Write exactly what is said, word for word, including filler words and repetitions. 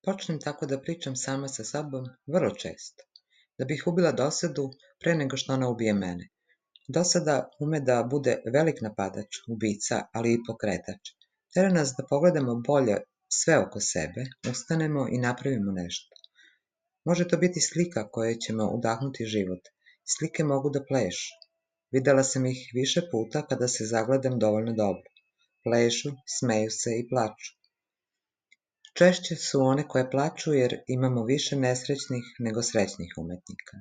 Počnem tako da pričam sama sa sobom vrlo često, da bih ubila dosadu pre nego što ona ubije mene. Dosada ume da bude velik napadač, ubica, ali i pokretač. Tera nas da pogledamo bolje sve oko sebe, ustanemo i napravimo nešto. Može to biti slika kojoj ćemo udahnuti život. Slike mogu da plešu. Videla sam ih više puta kada se zagledam dovoljno dobro. Plešu, smeju se i plaču. Češće su one koje plaču jer imamo više nesrećnih nego srećnih umetnika.